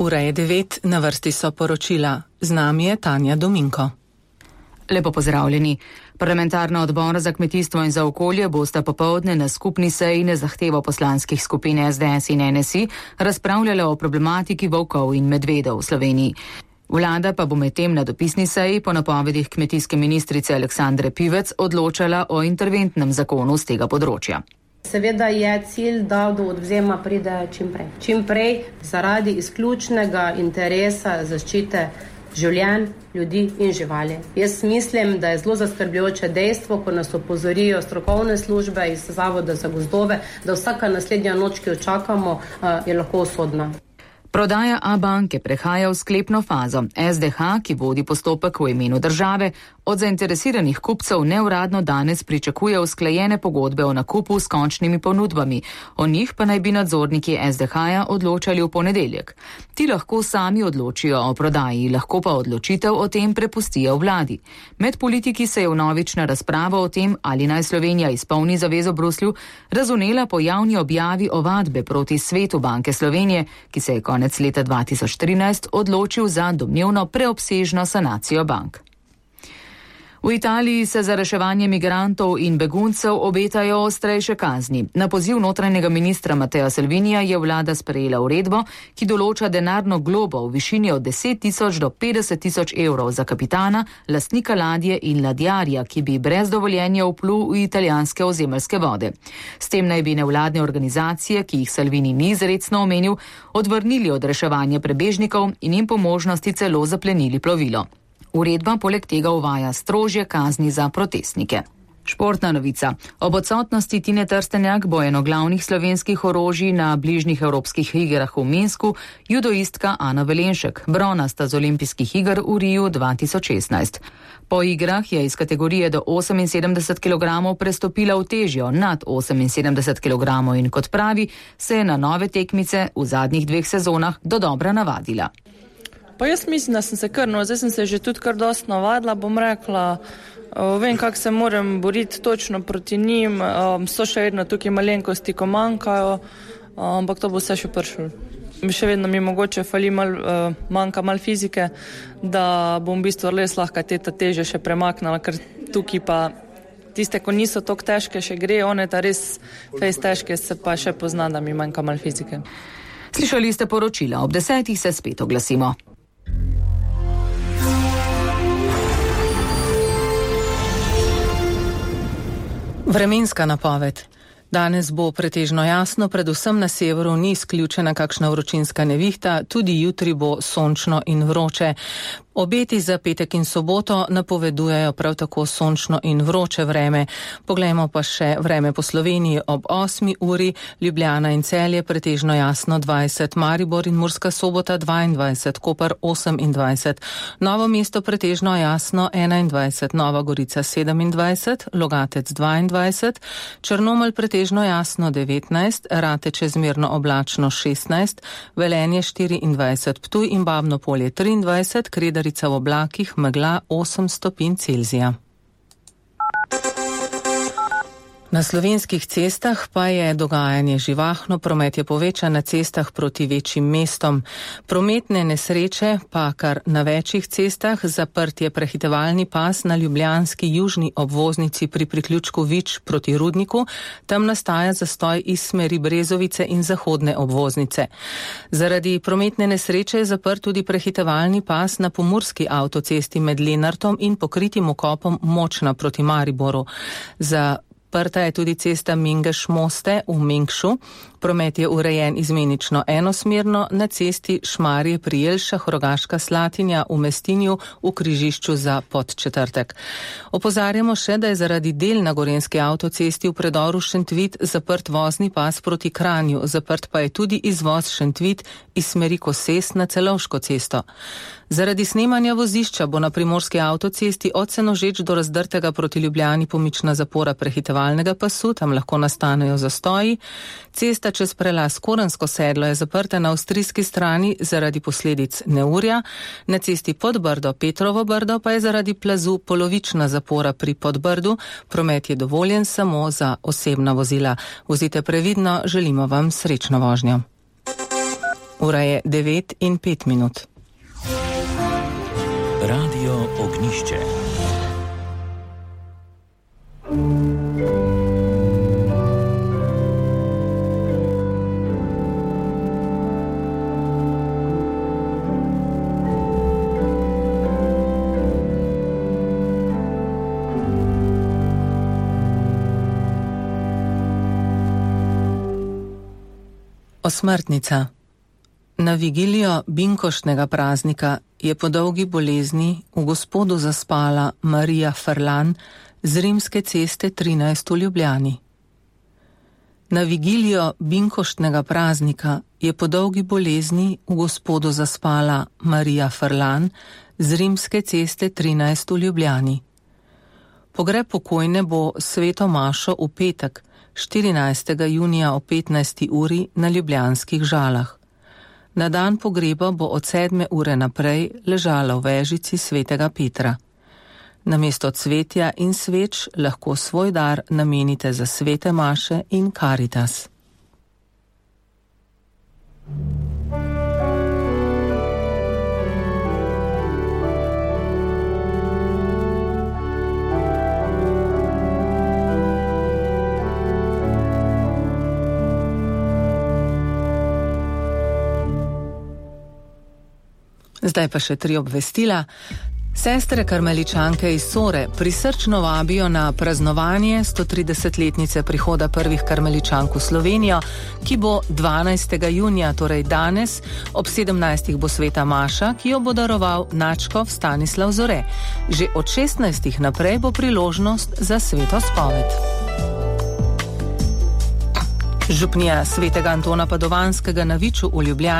Ura je 9, na vrsti so poročila. Z nami je Tanja Dominko. Lepo pozdravljeni. Parlamentarna odbora za kmetijstvo in za okolje bosta popoldne na skupni seji na zahtevo poslanskih skupin SDS in NSI razpravljala o problematiki volkov in medvedov v Sloveniji. Vlada pa bo medtem na dopisni seji po napovedih kmetijske ministrice Aleksandre Pivec odločala o interventnem zakonu z tega področja. Seveda je cilj, da do odvzema pride čim prej. Čim prej zaradi izključnega interesa zaščite življenj, ljudi in živali. Jaz mislim, da je zelo zaskrbljujoče dejstvo, ko nas opozorijo strokovne službe iz Zavoda za gozdove, da vsaka naslednja noč, ki jo čakamo, je lahko usodna. Prodaja Abanke prehaja v sklepno fazo. SDH, ki vodi postopek v imenu države, od zainteresiranih kupcev neuradno danes pričakuje usklajene pogodbe o nakupu s končnimi ponudbami. O njih pa naj bi nadzorniki SDH-ja odločali v ponedeljek. Ti lahko sami odločijo o prodaji, lahko pa odločitev o tem prepustijo vladi. Med politiki se je vnovična razprava o tem, ali naj Slovenija izpolni zavezo Bruslju, razvnela po javni objavi ovadbe proti Svetu Banke Slovenije, ki se je konec leta 2013 odločil za domnevno preobsežno sanacijo bank. V Italiji se za reševanje migrantov in beguncev obetajo ostrejše kazni. Na poziv notranjega ministra Mattea Salvinija je vlada sprejela uredbo, ki določa denarno globo v višini od 10.000 do 50.000 evrov za kapitana, lastnika ladje in ladjarja, ki bi brez dovoljenja vplul v italijanske ozemeljske vode. S tem naj bi nevladne organizacije, ki jih Salvini ni izrecno omenil, odvrnili od reševanja prebežnikov in jim po možnosti celo zaplenili plovilo. Uredba poleg tega uvaja strožje kazni za protestnike. Športna novica. Ob odsotnosti Tine Trstenjak bo eno glavnih slovenskih orožij na bližnjih evropskih igrah v Minsku judoistka Ana Velenšek, bronasta z olimpijskih iger v Riju 2016. Po igrah je iz kategorije do 78 kg prestopila v težjo nad 78 kg in kot pravi, se je na nove tekmice v zadnjih 2 sezonah dodobra navadila. Pa jaz mislim, da sem se zdaj sem se že tudi kar dosti navadila, bom rekla, vem, kako se moram boriti točno proti njim, so še vedno tukaj malenkosti, ko manjkajo, ampak to bo vse še prišlo. Še vedno mi mogoče manjka malo fizike, da bom v bistvu res lahko te teže še premaknila, ker tukaj pa tiste, ko niso toliko težke, še gre, one ta res fejs težke, se pa še pozna, da mi manjka malo fizike. Slišali ste poročila, ob 10 se spet oglasimo. Vremenska napoved. Danes bo pretežno jasno, predvsem na severu ni izključena kakšna vročinska nevihta, tudi jutri bo sončno in vroče. Obeti za petek in soboto napovedujejo prav tako sončno in vroče vreme. Poglejmo pa še vreme po Sloveniji ob 8 uri, Ljubljana in Celje pretežno jasno 20, Maribor in Murska Sobota 22, Koper 28, Novo mesto pretežno jasno 21, Nova Gorica 27, Logatec 22, Črnomelj pretežno jasno 19, Rate čezmerno oblačno 16, Velenje 24, Ptuj in Babno Polje 23, Kredarica v oblakih, megla 8 stopinj Celzija. Na slovenskih cestah pa je dogajanje živahno, promet je povečan na cestah proti večjim mestom. Prometne nesreče pa kar na večjih cestah, zaprt je prehitevalni pas na ljubljanski južni obvoznici pri priključku Vič proti Rudniku, tam nastaja zastoj iz smeri Brezovice in zahodne obvoznice. Zaradi prometne nesreče je zaprt tudi prehitevalni pas na pomurski avtocesti med Lenartom in pokritim okopom Močna proti Mariboru. Zaprta je tudi cesta Mingeš-Moste v Mengšu. Promet je urejen izmenično enosmerno na cesti Šmarje pri Jelšah, Rogaška Slatinja v Mestinju v križišču za Podčetrtek. Opozarjamo še, da je zaradi del na Gorenjski avtocesti v predoru Šentvit zaprt vozni pas proti Kranju, zaprt pa je tudi izvoz Šentvit iz smeri Koses na Celovško cesto. Zaradi snemanja vozišča bo na primorski avtocesti od Senožeč do Razdrtega proti Ljubljani pomična zapora prehitevalnega pasu, tam lahko nastanejo zastoji. Cesta čez prelaz Korensko sedlo je zaprta na avstrijski strani zaradi posledic neurja, na cesti Podbrdo Petrovo Brdo pa je zaradi plazu polovična zapora pri Podbrdu, promet je dovoljen samo za osebna vozila. Vozite previdno, želimo vam srečno vožnjo. Ura je 9:05. Radio Ognišče. Osmrtnica. Na vigilijo binkoštnega praznika je po dolgi bolezni v Gospodu zaspala Marija Ferlan z Rimske ceste 13 v Ljubljani. Na vigilijo binkoštnega praznika je po dolgi bolezni v Gospodu zaspala Marija Ferlan z Rimske ceste 13 v Ljubljani. Pogreb pokojne bo sveto mašo v petek, 14. junija o 15. uri na ljubljanskih Žalah. Na dan pogreba bo od 7. ure naprej ležala v vežici svetega Petra. Namesto cvetja in sveč lahko svoj dar namenite za svete maše in Karitas. Zdaj pa še 3 obvestila. Sestre karmeličanke iz Sore prisrčno vabijo na praznovanje 130-letnice prihoda prvih karmeličank v Slovenijo, ki bo 12. junija, torej danes, ob 17. bo sveta maša, ki jo bo daroval nadškof Stanislav Zore. Že od 16. naprej bo priložnost za sveto spoved. Župnija svetega Antona Padovanskega na Viču v Ljubljani